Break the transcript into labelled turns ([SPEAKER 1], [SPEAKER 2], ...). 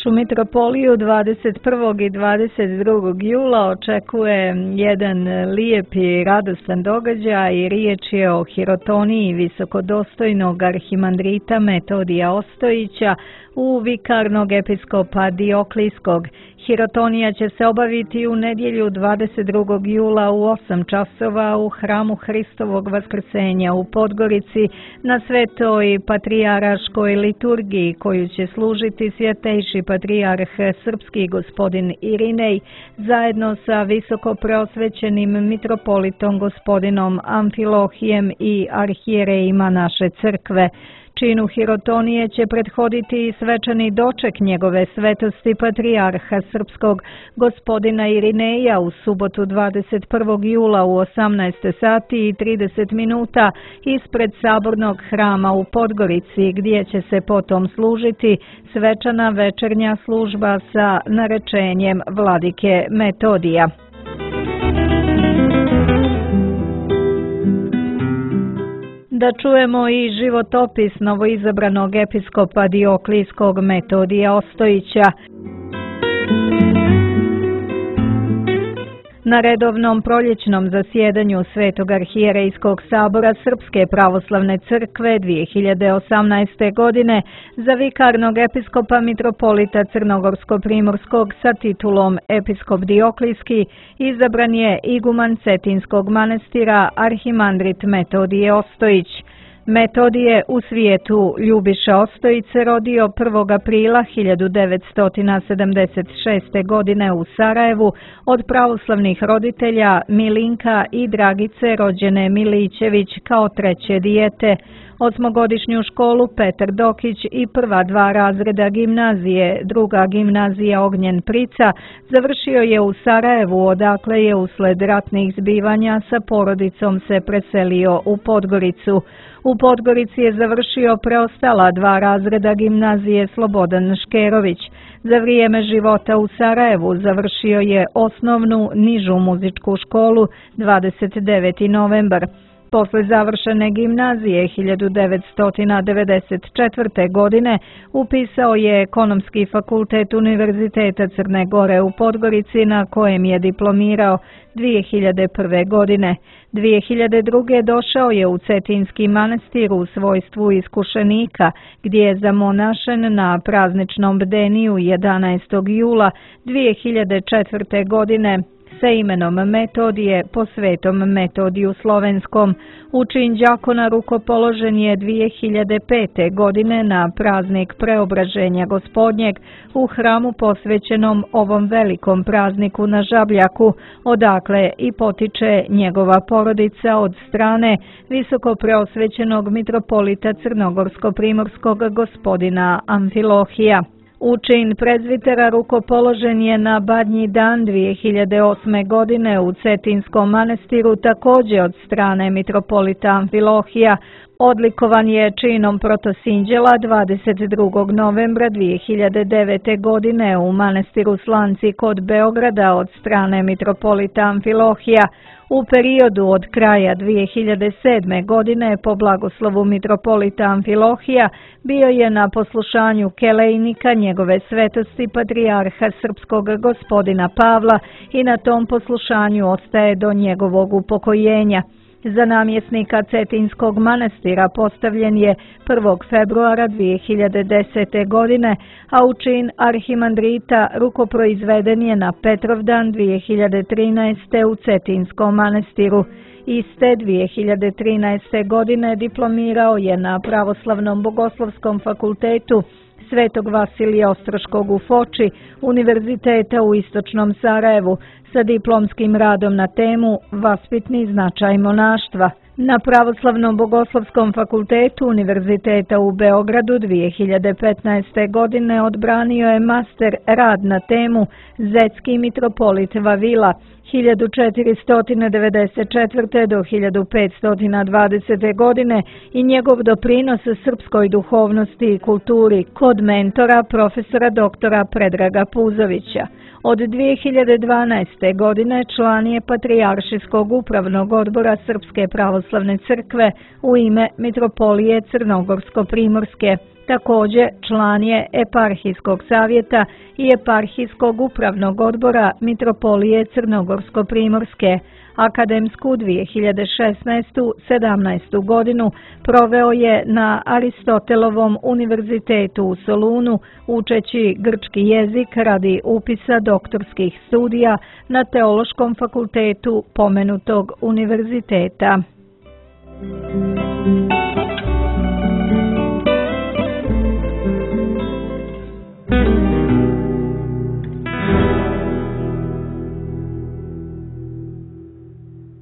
[SPEAKER 1] našu mitropoliju 21. i 22. jula očekuje jedan lijep i radostan događaj i riječ je o hirotoniji visokodostojnog arhimandrita Metodija Ostojića u vikarnog episkopa Dioklijskog. Hirotonija će se obaviti u nedjelju 22. jula u 8 časova u hramu Hristovog Vaskrsenja u Podgorici na Svetoj patrijaraškoj liturgiji koju će služiti svjetejši patrijarh srpski gospodin Irinej zajedno sa visokopreosvećenim mitropolitom gospodinom Amfilohijem i arhijerejima naše crkve. Činu hirotonije će prethoditi i svečani doček njegove svetosti patrijarha srpskog gospodina Irineja u subotu 21. jula u 18 sati i 30 minuta ispred Sabornog hrama u Podgorici, gdje će se potom služiti svečana večernja služba sa narečenjem vladike Metodija. Da čujemo i životopis novoizabranog episkopa Dioklijskog Metodija Ostojića. Na redovnom proljećnom zasjedanju Svetog arhijerejskog sabora Srpske pravoslavne crkve 2018. godine za vikarnog episkopa mitropolita Crnogorsko-primorskog sa titulom Episkop Dioklijski izabran je iguman Cetinskog manastira arhimandrit Metodije Ostojić. Metodije u svijetu Ljubiša Ostojić se rodio 1. aprila 1976. godine u Sarajevu od pravoslavnih roditelja Milinka i Dragice rođene Milićević kao treće dijete. Osmogodišnju školu Petar Dokić i prva 2 razreda gimnazije, druga gimnazija Ognjen Prica, završio je u Sarajevu, odakle je usled ratnih zbivanja sa porodicom se preselio u Podgoricu. U Podgorici je završio preostala 2 razreda gimnazije Slobodan Škerović. Za vrijeme života u Sarajevu završio je osnovnu nižu muzičku školu 29. novembar. Posle završene gimnazije 1994. godine upisao je Ekonomski fakultet Univerziteta Crne Gore u Podgorici na kojem je diplomirao 2001. godine. 2002. došao je u Cetinski manastir u svojstvu iskušenika, gdje je zamonašen na prazničnom bdeniju 11. jula 2004. godine sa imenom Metodije po Svetom Metodiju Slovenskom. Učin đakona rukopoložen je 2005. godine na praznik Preobraženja Gospodnjeg u hramu posvećenom ovom velikom prazniku na Žabljaku, odakle i potiče njegova porodica od strane visokopreosvećenog mitropolita Crnogorsko-primorskog gospodina Amfilohija. Učin prezvitera rukopoložen je na Badnji dan 2008. godine u Cetinskom manastiru također od strane mitropolita Amfilohija. Odlikovan je činom protosinđela 22. novembra 2009. godine u manastiru Slanci kod Beograda od strane mitropolita Amfilohija. U periodu od kraja 2007. godine po blagoslovu mitropolita Amfilohija bio je na poslušanju kelejnika njegove svetosti patrijarha srpskog gospodina Pavla i na tom poslušanju ostaje do njegovog upokojenja. Za namjesnika Cetinskog manastira postavljen je 1. februara 2010. godine, a u čin arhimandrita rukoproizveden je na Petrovdan 2013. u Cetinskom manastiru. Iste 2013. godine diplomirao je na Pravoslavnom bogoslovskom fakultetu Svetog Vasilija Ostroškog u Foči, Univerziteta u Istočnom Sarajevu, sa diplomskim radom na temu Vaspitni značaj monaštva. Na Pravoslavnom bogoslovskom fakultetu Univerziteta u Beogradu 2015. godine odbranio je master rad na temu Zetski mitropolit Vavila 1494. do 1520. godine i njegov doprinos srpskoj duhovnosti i kulturi kod mentora profesora doktora Predraga Puzovića. Od 2012. godine član je Patrijaršijskog upravnog odbora Srpske pravoslavne pravoslavne crkve u ime Mitropolije Crnogorsko-primorske. Također član je Eparhijskog savjeta i Eparhijskog upravnog odbora Mitropolije Crnogorsko-primorske. Akademsku 2016-17 godinu proveo je na Aristotelovom univerzitetu u Solunu, učeći grčki jezik radi upisa doktorskih studija na Teološkom fakultetu pomenutog univerziteta.